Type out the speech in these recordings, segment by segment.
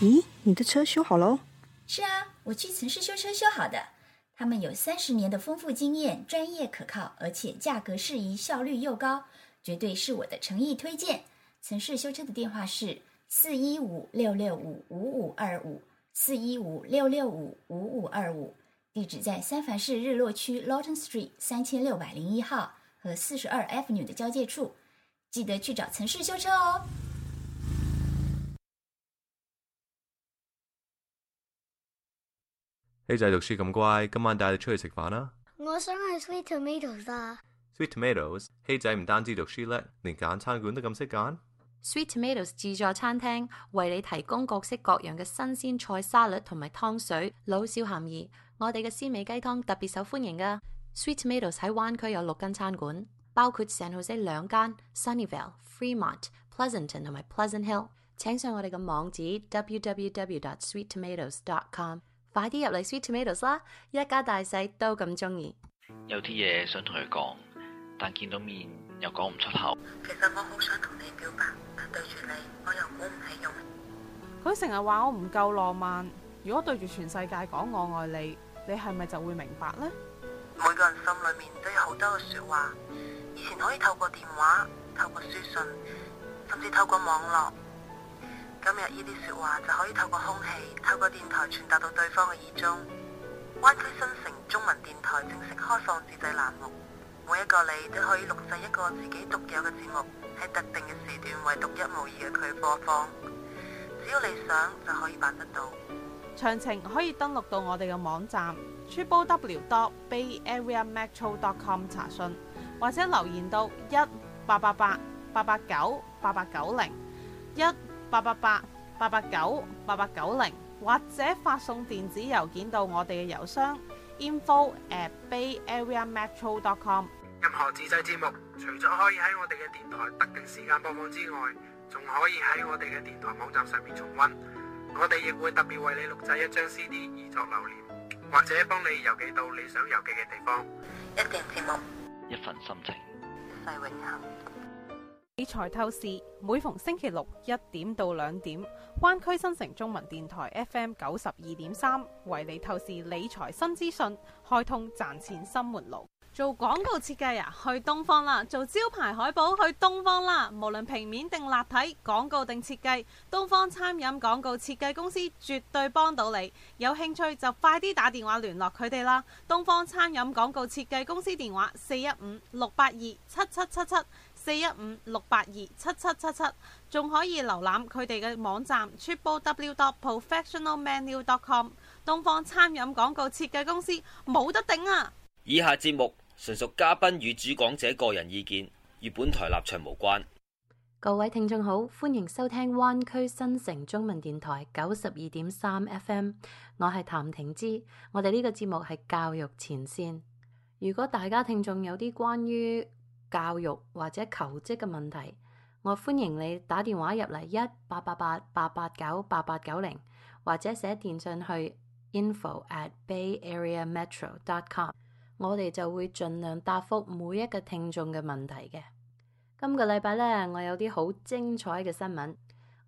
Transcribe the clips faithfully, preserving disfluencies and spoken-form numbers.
咦，你的车修好喽？是啊，我去城市修车修好的。他们有三十年的丰富经验，专业可靠，而且价格适宜，效率又高，绝对是我的诚意推荐。城市修车的电话是四一五六六五五五二五，四一五六六五五五二五，地址在三藩市日落区 Lawton Street 三千六百零一号和四十二 Avenue 的交界处，记得去找城市修车哦。希仔讀書咁乖，今晚帶你出去食飯啦！我想去 Sweet Tomatoes 啊 Sweet Tomatoes， 希仔唔單止讀書叻，連揀餐館都咁識揀。Sweet Tomatoes 自助餐廳為你提供各式各樣嘅新鮮菜沙律同埋湯水，老少咸宜。我哋嘅鮮味雞湯特別受歡迎㗎。Sweet Tomatoes 喺灣區有六間餐館，包括 San Jose 兩間、Sunnyvale、Fremont、Pleasanton 同埋 Pleasant Hill。請上我哋嘅網址 double-u double-u double-u dot sweet tomatoes dot com。快啲入嚟 Sweet Tomatoes 啦！一家大細都咁鍾意。有啲嘢想同佢講，但見到面又講唔出口。其實我好想同你表白，但對住你我又鼓唔起勇。佢成日話我唔夠浪漫，如果對住全世界講我愛你，你係咪就會明白呢？每個人心裏面都有好多嘅說話，以前可以透過電話、透過書信，甚至透過網絡。今日呢啲說話就可以透過空氣、透過電台傳達到對方嘅耳中。灣區新城中文電台正式開放自製欄目，每一個你都可以錄製一個自己獨有嘅節目，喺特定嘅時段為獨一無二嘅佢播放。只要你想就可以辦得到。詳情可以登錄到我哋嘅網站 double-u double-u double-u dot bay area metro dot com 查詢，或者留言到一八八八八八九八八九零一八八八八八九八八九零，或者發送電子郵件到我哋嘅郵箱 info at bay area metro dot com。 任何自製節目除咗可以喺我哋嘅電台特定時間播放之外，仲可以喺我哋嘅電台網站上面重溫。我哋亦會特別為你錄製一張 C D 以作留念，或者幫你郵寄到你想郵寄嘅地方。一段節目，一份心情，一世永恆。理財透視每逢星期六一點到兩點，灣區新城中文電台 F M 九十二點三為你透視理財新資訊，開通賺錢新門路。做廣告設計啊，去東方啦；做招牌海報，去東方啦。無論平面定立體，廣告定設計，東方餐飲廣告設計公司絕對幫到你。有興趣就快啲打電話聯絡佢哋啦。東方餐飲廣告設計公司電話四一五六八二七七七七。四一五六八二七七七七，仲可以瀏覽佢哋嘅網站 double-u double-u double-u dot professional menu dot com。 東方餐飲廣告設計公司冇得頂啊！以下節目純屬嘉賓與主講者個人意見，與本台立場無關。各位聽眾好，歡迎收聽灣區新城中文電台九十二點三 F M， 我係譚婷芝，我哋呢個節目係教育前線。如果大家聽眾有啲關於教育或者求職嘅問題，我歡迎你打電話入嚟一八八八八八九八八九零，或者寫電信去 info at bay area metro dot com， 我哋就會盡量答覆每一個聽眾嘅問題嘅。今個禮拜呢，我有啲好精彩嘅新聞。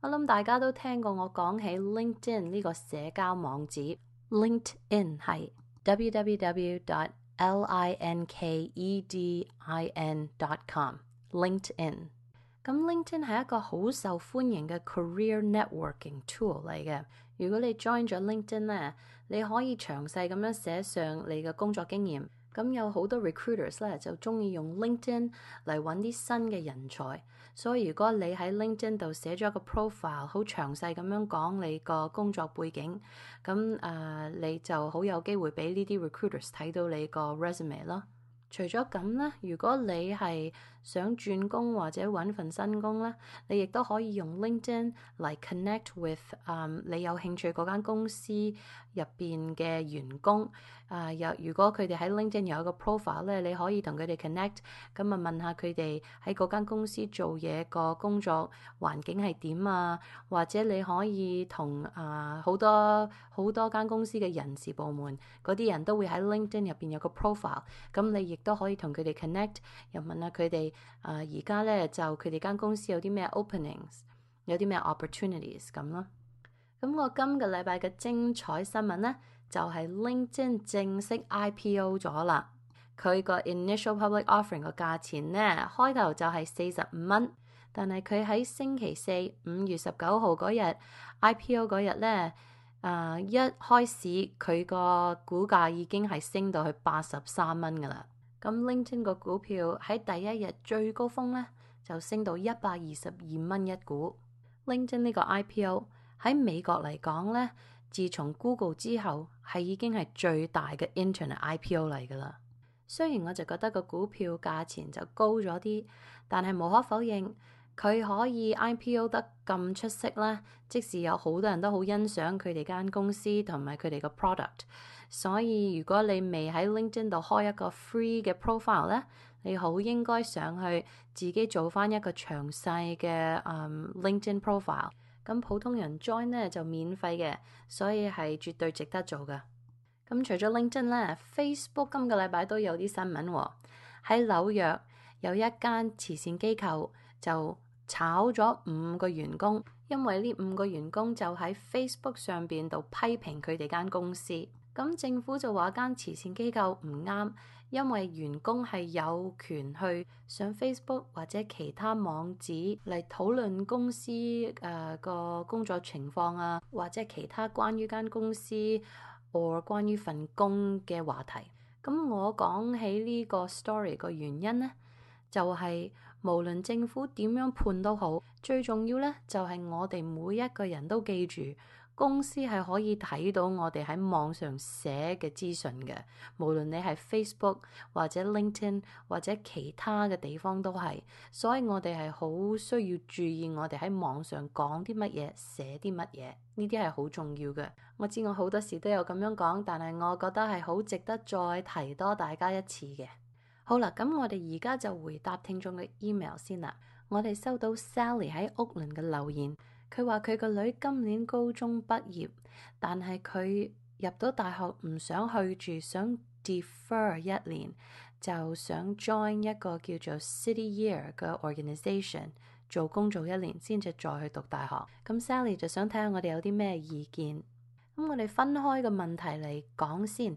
我諗大家都聽過我講起 LinkedIn 呢個社交網址。 LinkedIn 係 double-u double-u double-u dot L I N K E D I N dot com LinkedIn。 咁 LinkedIn 係一個好受歡迎嘅 career networking tool 嚟嘅。如果你 join 咗 LinkedIn 咧，你可以詳細咁樣寫上你嘅工作經驗。咁有好多 recruiters 咧就中意用 LinkedIn 嚟揾啲新嘅人才，所以如果你喺 LinkedIn 度寫咗一個 profile， 好詳細咁樣講你個工作背景，咁誒、呃、你就好有機會俾呢啲 recruiters 睇到你個 resume 咯。除咗咁咧，如果你係想轉工或者揾份新工咧，你亦都可以用 LinkedIn 嚟 connect with、um, 你有興趣嗰間公司入邊嘅員工。啊、uh, 有如果佢哋喺 LinkedIn 有一個 profile 咧，你可以同佢哋 connect， 咁啊問下佢哋喺嗰間公司做嘢個工作環境係點啊，或者你可以同啊好多好多間公司嘅人事部門嗰啲人都會喺 LinkedIn 入邊有個 profile， 咁你亦都可以同佢哋 connect， 又問下佢哋啊而家咧就佢哋間公司有啲咩 openings， 有啲咩 opportunities 咁咯。咁我今個禮拜嘅精彩新聞呢，就係 LinkedIn 正式 I P O 咗啦。佢個 initial public offering 個價錢呢，開頭就係四十五蚊，但係佢喺星期四五月十九號嗰日 I P O 嗰日呢，呃、一開始佢個股價已經係升到去八十三蚊噶啦。咁 LinkedIn 個股票喺第一日最高峰呢，就升到一百二十二蚊一股。LinkedIn 呢個 I P O 喺美國嚟講呢，自從 Google 之後係已經係最大嘅 Internet I P O 嚟噶啦。雖然我就覺得個股票價錢就高咗啲，但係無可否認佢可以 I P O 得咁出色啦。即使有好多人都好欣賞佢哋間公司同埋佢哋個 product， 所以如果你未喺 LinkedIn 度開一個 free 嘅 profile 咧，你好應該上去自己做翻一個詳細嘅、um, LinkedIn profile。咁普通人 join 咧就免費嘅，所以係絕對值得做噶。咁除咗 LinkedIn 咧 ，Facebook 今個禮拜都有啲新聞喎。喺紐約有一間慈善機構就炒咗五個員工，因為呢五個員工就喺 Facebook 上邊度批評佢哋間公司。咁政府就話間慈善機構唔啱，因為員工係有權去上 Facebook 或者其他網址嚟討論公司誒個、呃、工作情況啊，或者其他關於間公司或關於份工嘅話題。咁我講起呢個 story 個原因呢，就係、是、無論政府點樣判都好，最重要呢就係、是、我哋每一個人都記住，公司係可以睇到我哋喺網上寫嘅資訊嘅，無論你係 Facebook 或者 LinkedIn 或者其他嘅地方都係，所以我哋係好需要注意我哋喺網上講啲乜嘢，寫啲乜嘢，呢啲係好重要嘅。我知我好多時都有咁樣講，但係我覺得係好值得再提多大家一次嘅。好啦，咁我哋而家就回答聽眾嘅 email 先啦。我哋收到 Sally 喺 Oakland 嘅留言。佢話佢個女今年高中畢業，但係佢入到大學唔想去住，想 defer 一年，就想 join 一個叫做 City Year 嘅 organisation 做工做一年先至再去讀大學。咁 Sally 就想睇下我哋有啲咩意見。咁我哋分開個問題嚟講先，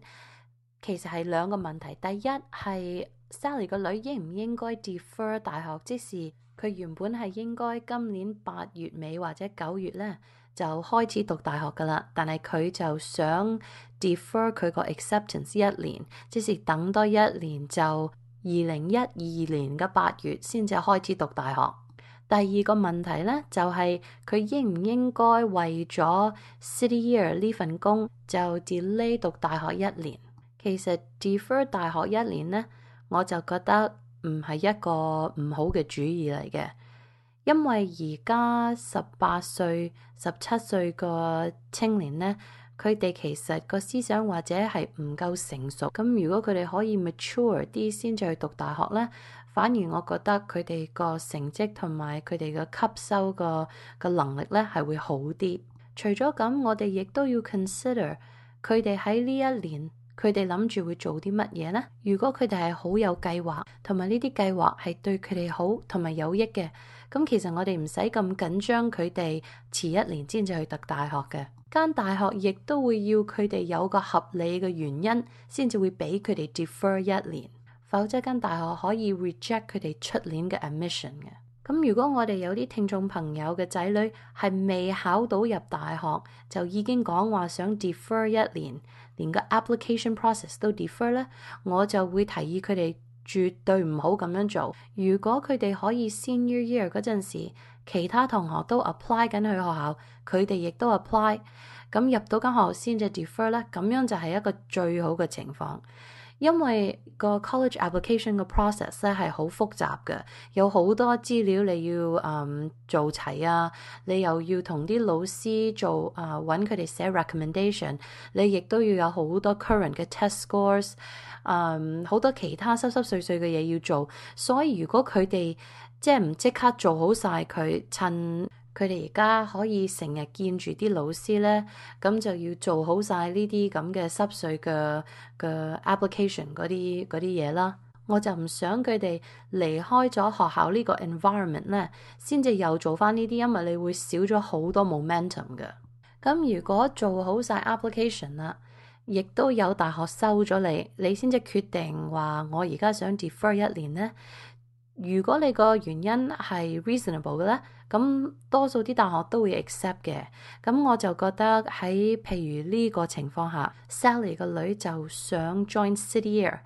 其實係兩個問題。第一係 Sally 個女應唔應該 defer 大學，即是佢原本係應該今年八月尾或者九月咧就開始讀大學噶啦，但係佢就想 defer 佢個 acceptance 一年，即是等多一年就二零一二年嘅八月先至開始讀大學。第二個問題咧就係、是、佢應唔應該為咗 City Year 呢份工就 delay 讀大學一年。其實 defer 大學一年咧，我就覺得唔係一個唔好嘅主意嚟嘅，因為而家十八歲、十七歲個青年呢，佢哋其實個思想或者係唔夠成熟。咁如果佢哋可以 mature 啲先至去讀大學呢，反而我覺得佢哋個成績同埋佢哋嘅吸收個個能力呢係會好啲。除咗咁，我哋亦都要 consider 佢哋喺呢一年，佢哋諗住會做啲乜嘢呢？如果佢哋係好有計劃，同埋呢啲計劃係對佢哋好同埋有益嘅，咁其實我哋唔使咁緊張佢哋遲一年先至去讀大學嘅。間大學亦都會要佢哋有個合理嘅原因，先至會俾佢哋 defer 一年，否則間大學可以 reject 佢哋出年嘅 admission 嘅。咁如果我哋有啲聽眾朋友嘅仔女係未考到入大學，就已經講話想 defer 一年，連個 application process 都 defer 咧，我就會提議佢哋絕對唔好咁樣做。如果佢哋可以 senior year 嗰陣時，其他同學都 apply 緊去學校，佢哋亦都 apply， 咁入到間學校先至 defer 咧，咁樣就係一個最好嘅情況。因為個 college application 個 process 咧係好複雜嘅，有好多資料你要誒、嗯、做齊啊，你又要同啲老師做誒揾佢哋寫 recommendation， 你亦都要有好多 current 嘅 test scores， 誒、嗯、好多其他濕濕碎碎嘅嘢要做，所以如果佢哋即係唔即刻做好晒佢，趁佢哋而家可以成日見住啲老師咧，咁就要做好晒呢啲咁嘅濕碎嘅嘅 application 嗰啲嗰啲嘢啦。我就唔想佢哋離開咗學校呢個 environment 咧，先至又做翻呢啲，因為你會少咗好多 momentum 嘅。咁如果做好晒 application 啦，亦都有大學收咗你，你先至決定話我而家想 defer 一年呢。如果你個原因係 reasonable 嘅咧，咁多數啲大學都會 accept 嘅。咁我就覺得喺譬如呢個情況下 ，Sally 個女就想 join City Year，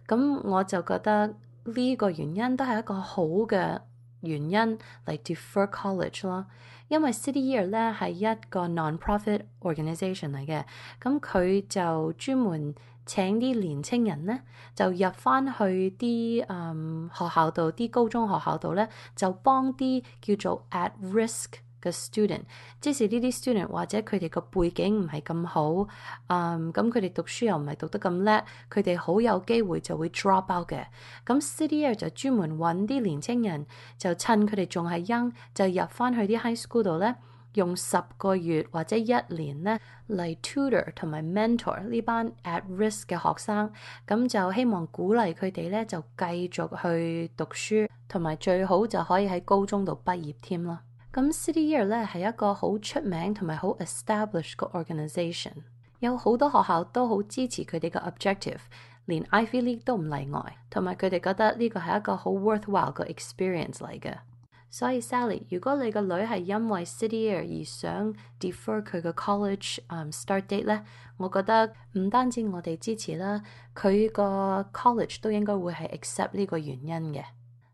咁我就覺得呢個原因都係一個好嘅原因嚟 defer college 咯。因為 City Year 咧係一個 non-profit organisation 嚟嘅，咁佢就專門請啲年青人咧，就入翻去啲嗯學校度，啲高中學校度咧，就幫啲叫做 at risk 嘅 student， 即是呢啲 student 或者佢哋個背景唔係咁好，嗯咁佢哋讀書又唔係讀得咁叻，佢哋好有機會就會 drop out 嘅。咁 City Year 就專門揾啲年青人，就趁佢哋仲係 young，就入翻去啲 high school 度咧，用十個月或者一年咧嚟 tutor 同埋 mentor 呢班 at risk 嘅學生，咁就希望鼓勵佢哋咧就繼續去讀書，同埋最好就可以喺高中度畢業添咯。咁 City Year 咧係一個好出名同埋好 established 嘅 organisation， 有好多學校都好支持佢哋嘅 objective， 連 Ivy League 都唔例外，同埋佢哋覺得呢個係一個好 worthwhile 嘅 experience 嚟嘅。所以 Sally， 如果你個女係因為 City Year 而想 defer 佢嘅 college、um, start date 咧，我覺得唔單止我哋支持啦，佢個 college 都應該會係 accept 呢個原因嘅。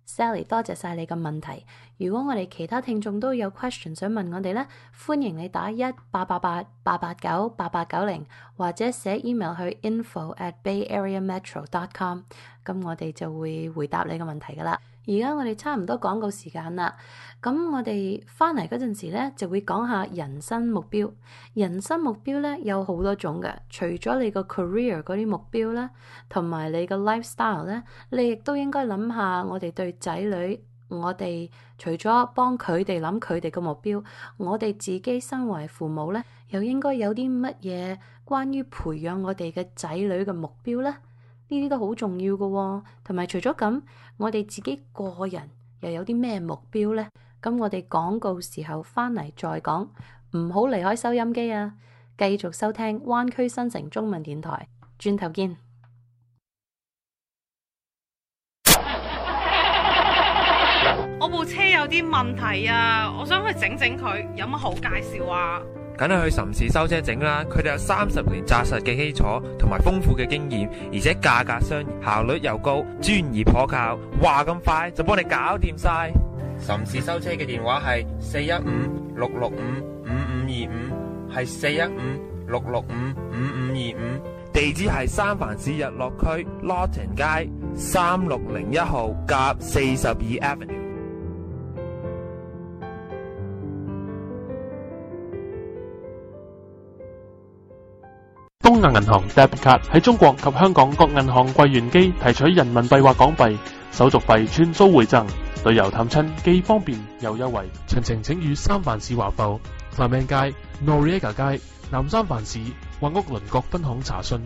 Sally， 多謝晒你嘅問題。如果我哋其他聽眾都有 question 想問我哋咧，歡迎你打一八八八八八九八八九零，或者寫 email 去 info at bay area metro dot com， 咁我哋就會回答你嘅問題噶啦。而家我哋差唔多廣告時間啦，咁我哋翻嚟嗰陣時咧，就會講下人生目標。人生目標咧有好多種嘅，除咗你個 career 嗰啲目標咧，同埋你個 lifestyle 咧，你亦都應該諗下我哋對仔女，我哋除咗幫佢哋諗佢哋嘅目標，我哋自己身為父母咧，又應該有啲乜嘢關於培養我哋嘅仔女嘅目標咧？呢啲都好重要嘅喎，同埋除咗咁，我哋自己個人又有啲咩目標呢？咁我哋廣告時候翻嚟再講，唔好離開收音機啊！繼續收聽灣區新城中文電台，轉頭見。我部車有啲問題啊，我想去整整佢，有乜好介紹啊？梗係去岑氏修車整啦，佢哋有三十年紮實嘅基礎同埋豐富嘅經驗，而且價格相宜，效率又高，專業可靠，話咁快就幫你搞掂晒。岑氏修車嘅電話係四一五六六五五五二五，係四一五六六五五五二五，地址係三藩市日落區 Lawton 街三六零一號甲四十二 Avenue。東亞銀行 Debit Card 喺中國及香港各銀行櫃員機提取人民幣或港幣，手續費全數回贈，旅遊探親既方便又優惠。詳情請與三藩市華埠 Clement 街、Noriega 街、南三藩市或屋鄰國分行查詢，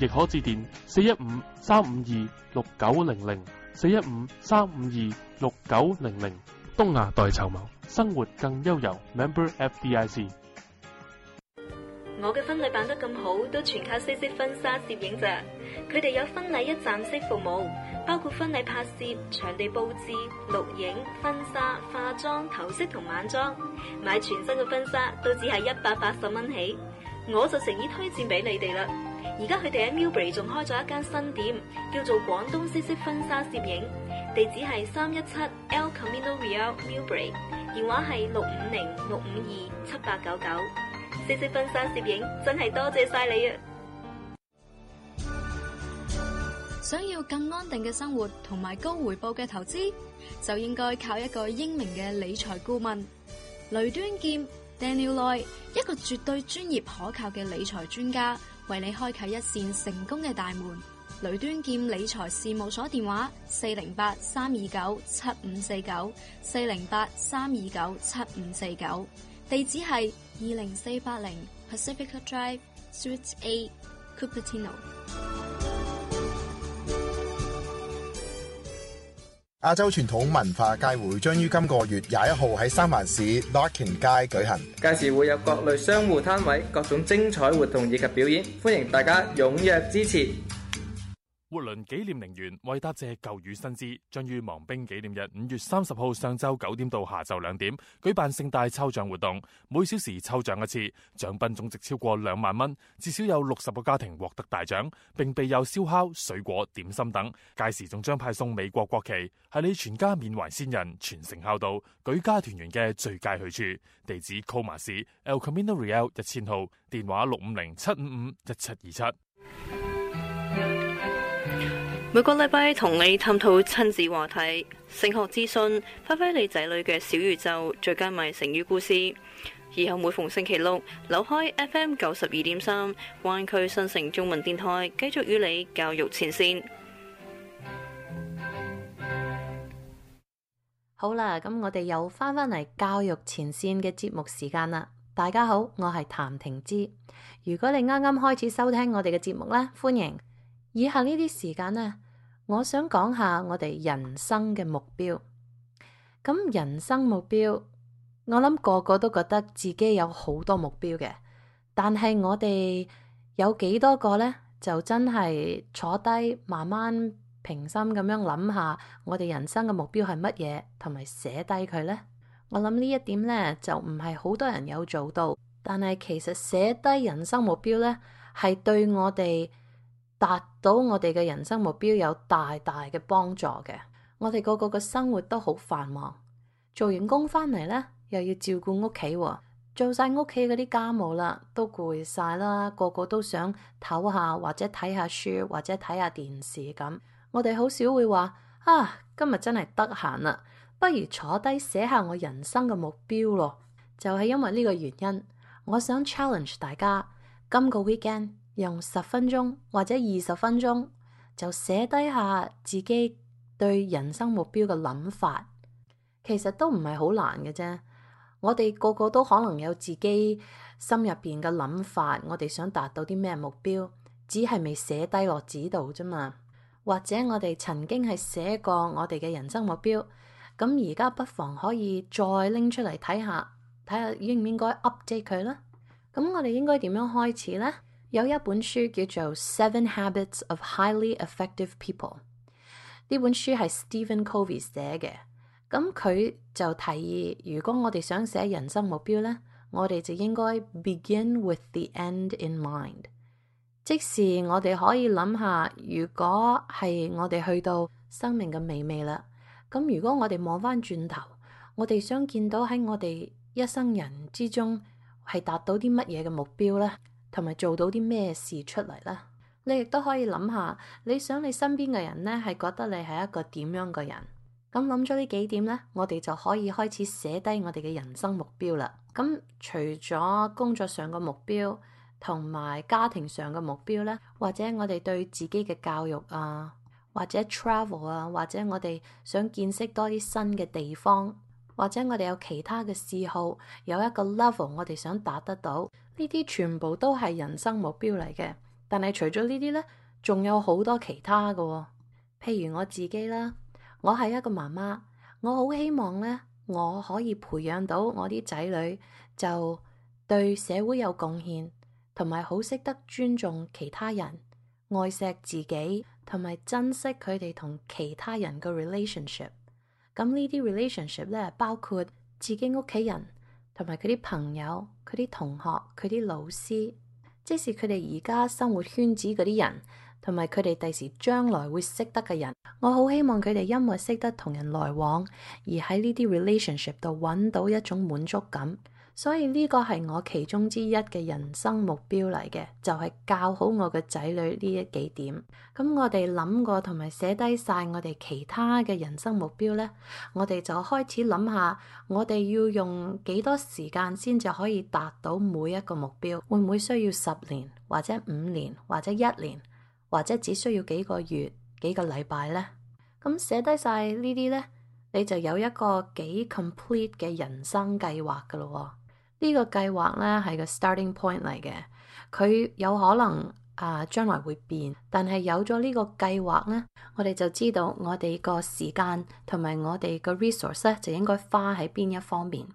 亦可致電四一五三五二六九零零 四一五三五二六九零零。東亞代籌謀，生活更悠遊。Member F D I C。我嘅婚禮辦得咁好，都全靠西式婚紗攝影咋。佢哋有婚禮一站式服務，包括婚禮拍攝、場地佈置、錄影、婚紗、化妝、頭飾同晚裝。買全新嘅婚紗都只係一百八十蚊起，我就誠意推薦俾你哋啦。而家佢哋喺 Millbury 仲開咗一間新店，叫做廣東西式婚紗攝影，地址係三一七 El Camino Real Millbury， 電話係六五零六五二七八九九。西式婚紗攝影真係多謝晒你啊！想要更安定嘅生活同埋高回報嘅投資，就應該靠一個英明嘅理財顧問雷端劍 Daniel Loy， 一個絕對專業可靠嘅理財專家，為你開啟一扇成功嘅大門。雷端劍理財事務所電話：四零八三二九七五四九，四零八三二九七五四九，地址係二零四八零 Pacifica Drive Suite A Cupertino。亞洲傳統文化街會將於今個月廿一號喺三藩市 Larkin 街舉行，屆時會有各類商戶攤位、各種精彩活動以及表演，歡迎大家踴躍支持。活倫紀念陵園為答謝舊雨新知，將於亡兵紀念日五月三十號上晝九點到下晝兩點舉辦盛大抽獎活動，每小時抽獎一次，獎品總值超過兩萬蚊，至少有六十個家庭獲得大獎，並備有燒烤、水果、點心等。屆時仲將派送美國國旗，係你全家緬懷先人、傳承孝道、舉家團圓嘅最佳去處。地址 Coma 市 El Camino Real 一千號，電話六五零七五五一七二七。每個禮拜同你探討親子話題、升學資訊，發揮你仔女嘅小宇宙，最佳賣成語故事。以後每逢星期六，扭開 F M 九十二點三，灣區新城中文電台，繼續與你教育前線。好啦，咁我哋又翻返嚟教育前線嘅節目時間啦。大家好，我係譚婷芝。如果你啱啱開始收聽我哋嘅節目呢，歡迎。以下呢啲時間呢，我想講下我哋人生嘅目標。咁人生目標，我諗個個都覺得自己有好多目標嘅，但係我哋有幾多個呢？就真係坐低慢慢平心咁樣諗下，我哋人生嘅目標係乜嘢，同埋寫低佢呢。我諗呢一點呢，就唔係好多人有做到，但係其實寫低人生目標呢，係對我哋達到我哋嘅人生目標有大大嘅幫助嘅。我哋個個嘅生活都好繁忙，做完工翻嚟呢，又要照顧屋企，做晒屋企嗰啲家務啦，都攰晒啦，個個都想唞下或者睇下書或者睇下電視咁。我哋好少會話啊，今日真係得閒啦，不如坐低寫下我人生嘅目標咯。就係因為呢個原因，我想 challenge 大家，今個 weekend 用十分鐘或者二十分鐘就寫低下自己對人生目標嘅諗法。其實都唔係好難嘅啫，我哋個個都可能有自己心入邊嘅諗法，我哋想達到啲咩目標，只係未寫低落紙度啫嘛。或者我哋曾經係寫過我哋嘅人生目標，咁而家不妨可以再拎出嚟睇下，睇下應唔應該 update 佢啦。咁我哋應該點樣開始呢？有一本書叫做《Seven Habits of Highly Effective People》，呢本書係 Stephen Covey 寫嘅。咁佢就提議，如果我哋想寫人生目標呢，我哋就應該 begin with the end in mind。即是我哋可以諗下，如果係我哋去到生命嘅尾尾啦，咁如果我哋望翻轉頭，我哋想見到喺我哋一生人之中係達到啲乜嘢嘅目標呢？同埋做到啲咩事出嚟呢？你亦都可以諗下，你想你身邊嘅人呢係覺得你係一個點樣嘅人？咁諗咗呢幾點呢，我哋就可以開始寫低我哋嘅人生目標啦。咁除咗工作上嘅目標，同埋家庭上嘅目標呢，或者我哋對自己嘅教育啊，或者 travel 啊，或者我哋想見識多啲新嘅地方，或者我哋有其他嘅嗜好，有一個 level 我哋想達得到，呢啲全部都係人生目標嚟嘅。但係除咗呢啲呢，仲有好多其他嘅喎。譬如我自己啦，我係一個媽媽，我好希望呢，我可以培養到我啲仔女就對社會有貢獻，同埋好識得尊重其他人，愛錫自己，同埋珍惜佢哋同其他人嘅 relationship。咁呢啲 relationship 咧，包括自己屋企人，同埋佢啲朋友、佢啲同學、佢啲老師，即使佢哋而家生活圈子嗰啲人，同埋佢哋第時將來會識得嘅人，我好希望佢哋因為識得同人來往，而喺呢啲 relationship 度揾到一種滿足感。所以呢個係我其中之一嘅人生目標嚟嘅，就係教好我嘅仔女呢一幾點。咁我哋諗過同埋寫低晒我哋其他嘅人生目標呢，我哋就開始諗下，我哋要用幾多時間先至可以達到每一個目標？會唔會需要十年，或者五年，或者一年，或者只需要幾個月、幾個禮拜呢？咁寫低晒呢啲呢，你就有一個幾 complete 嘅人生計劃噶咯。呢個計劃咧係個 starting point 嚟嘅，佢有可能啊將來會變，但係有咗呢個計劃呢，我哋就知道我哋個時間同埋我哋個 resource 咧就應該花喺邊一方面。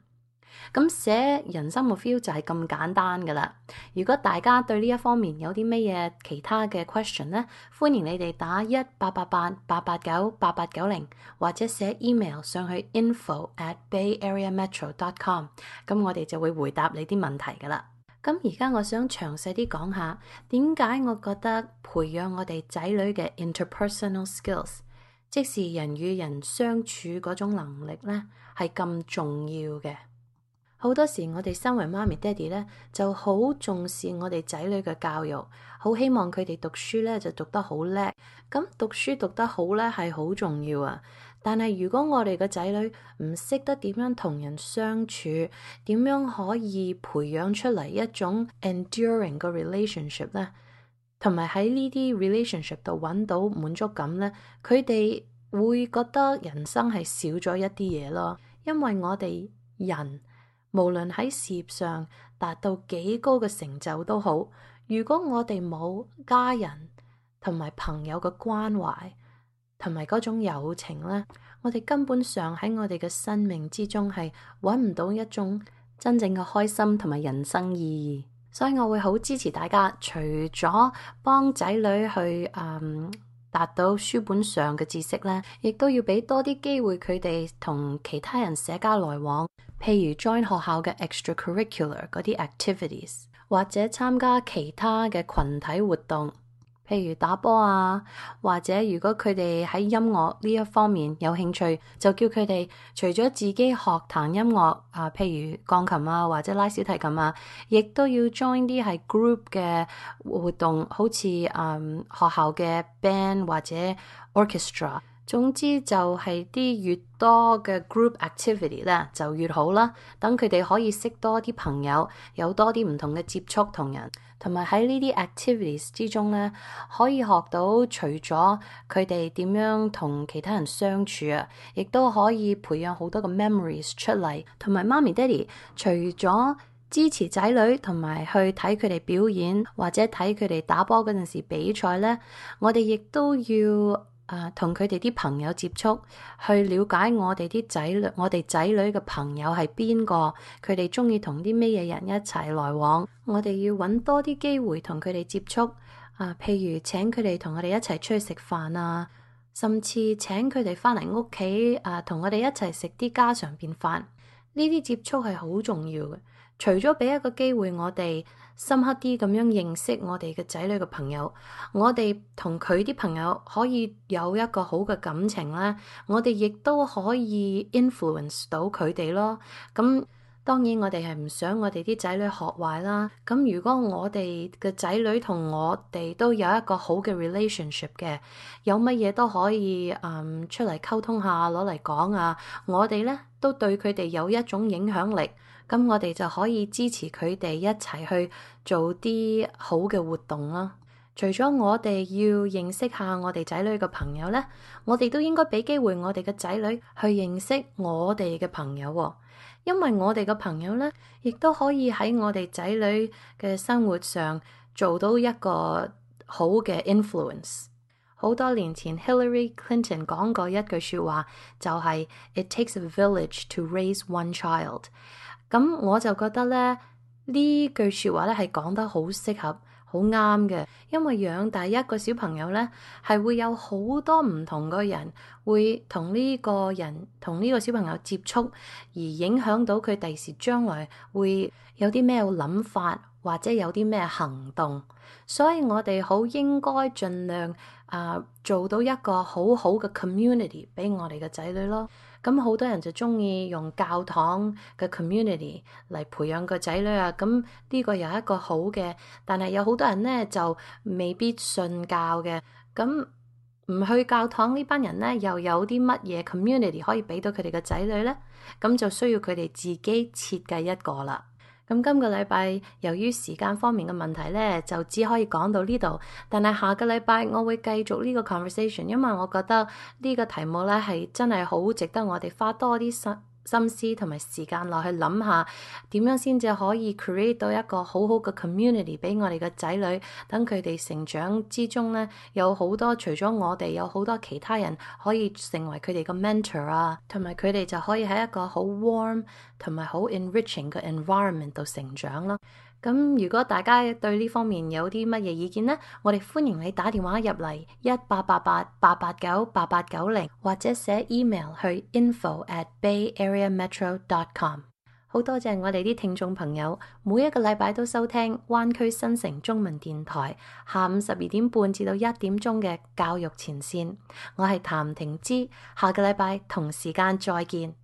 咁寫人生目標就係咁簡單噶啦。如果大家對呢一方面有啲咩嘢其他嘅 question 呢，歡迎你哋打一八八八八八九八八九零，或者寫 email 上去 info at bay area metro dot com， 咁我哋就會回答你啲問題噶啦。咁而家我想詳細啲講下點解我覺得培養我哋仔女嘅 interpersonal skills， 即是人與人相處嗰種能力呢，係咁重要嘅。好多時我哋身為媽咪爹哋咧，就好重視我哋仔女嘅教育，好希望佢哋讀書咧就讀得好叻。咁讀書讀得好咧係好重要啊！但係如果我哋嘅仔女唔識得點樣同人相處，點樣可以培養出嚟一種 enduring 嘅 relationship 咧，同埋喺呢啲 relationship 度揾到滿足感咧，佢哋會覺得人生係少咗一啲嘢咯。因為我哋人無論喺事業上達到幾高嘅成就都好，如果我哋冇家人同埋朋友嘅關懷同埋嗰種友情咧，我哋根本上喺我哋嘅生命之中係揾唔到一種真正嘅開心同埋人生意義。所以我會好支持大家，除咗幫仔女去嗯達到書本上嘅知識咧，亦都要俾多啲機會佢哋同其他人社交來往。譬如 join 學校嘅 extracurricular 嗰啲 activities， 或者參加其他嘅群體活動，譬如打波啊，或者如果佢哋喺音樂呢一方面有興趣，就叫佢哋除咗自己學彈音樂啊，譬如鋼琴啊或者拉小提琴啊，亦都要 join 啲係 group 嘅活動，好似嗯學校嘅 band 或者 orchestra。總之就係啲越多嘅 group activity 咧就越好啦，等佢哋可以識多啲朋友，有多啲唔同嘅接觸同人，同埋喺呢啲 activities 之中咧，可以學到除咗佢哋點樣同其他人相處啊，亦都可以培養好多個 memories 出嚟。同埋媽咪爹哋除咗支持仔女同埋去睇佢哋表演或者睇佢哋打波嗰陣時比賽咧，我哋亦都要啊，同佢哋啲朋友接觸，去了解我哋啲仔女，我哋仔女嘅朋友係邊個，佢哋中意同啲咩嘢人一齊來往。我哋要揾多啲機會同佢哋接觸啊，譬如請佢哋同我哋一齊出去食飯啊，甚至請佢哋翻嚟屋企啊，同我哋一齊食啲家常便飯。呢啲接觸係好重要嘅。除咗俾一個機會我哋深刻啲咁樣認識我哋嘅仔女嘅朋友，我哋同佢啲朋友可以有一個好嘅感情咧，我哋亦都可以 influence 到佢哋咯。咁當然我哋係唔想我哋啲仔女學壞啦。咁如果我哋嘅仔女同我哋都有一個好嘅 relationship 嘅，有乜嘢都可以嗯出嚟溝通下，攞嚟講啊，我哋咧都對佢哋有一種影響力。咁我哋就可以支持佢哋一齊去做啲好嘅活動啦。除咗我哋要認識下我哋仔女嘅朋友咧，我哋都應該俾機會我哋嘅仔女去認識我哋嘅朋友喎。因為我哋嘅朋友咧，亦都可以喺我哋仔女嘅生活上做到一個好嘅 influence。好多年前 Hillary Clinton 講過一句說話，就係 It takes a village to raise one child。咁我就覺得咧，呢句說話咧係講得好適合，好啱嘅。因為養大一個小朋友咧，係會有好多唔同嘅人會同呢個人同呢個小朋友接觸，而影響到佢第時將來會有啲咩諗法或者有啲咩行動。所以我哋好應該盡量啊、呃、做到一個好好嘅 community 俾我哋嘅仔女咯。咁好多人就中意用教堂嘅 community 嚟培養個仔女啊，咁呢個又係一個好嘅，但係有好多人咧就未必信教嘅，咁唔去教堂呢班人咧又有啲乜嘢 community 可以俾到佢哋嘅仔女咧？咁就需要佢哋自己設計一個啦。咁今個禮拜由於時間方面嘅問題咧，就只可以講到呢度。但係下個禮拜我會繼續呢個 conversation，因為我覺得呢個題目咧係真係好值得我哋花多啲心心思同埋時間落去諗下點樣先至可以 create 到一個好好嘅 community 俾我哋嘅仔女，等佢哋成長之中咧有好多除咗我哋有好多其他人可以成為佢哋嘅 mentor 啊，同埋佢哋就可以喺一個好 warm 同埋好 enriching 嘅 environment 度成長咯。咁如果大家對呢方面有啲乜嘢意見呢，我哋歡迎你打電話入嚟一八八八八八九八八九零，或者寫 email 去 info at bay area metro dot com。好多謝我哋啲聽眾朋友，每一個禮拜都收聽灣區新城中文電台下午十二點半至到一點鐘嘅教育前線。我係譚婷芝，下個禮拜同時間再見。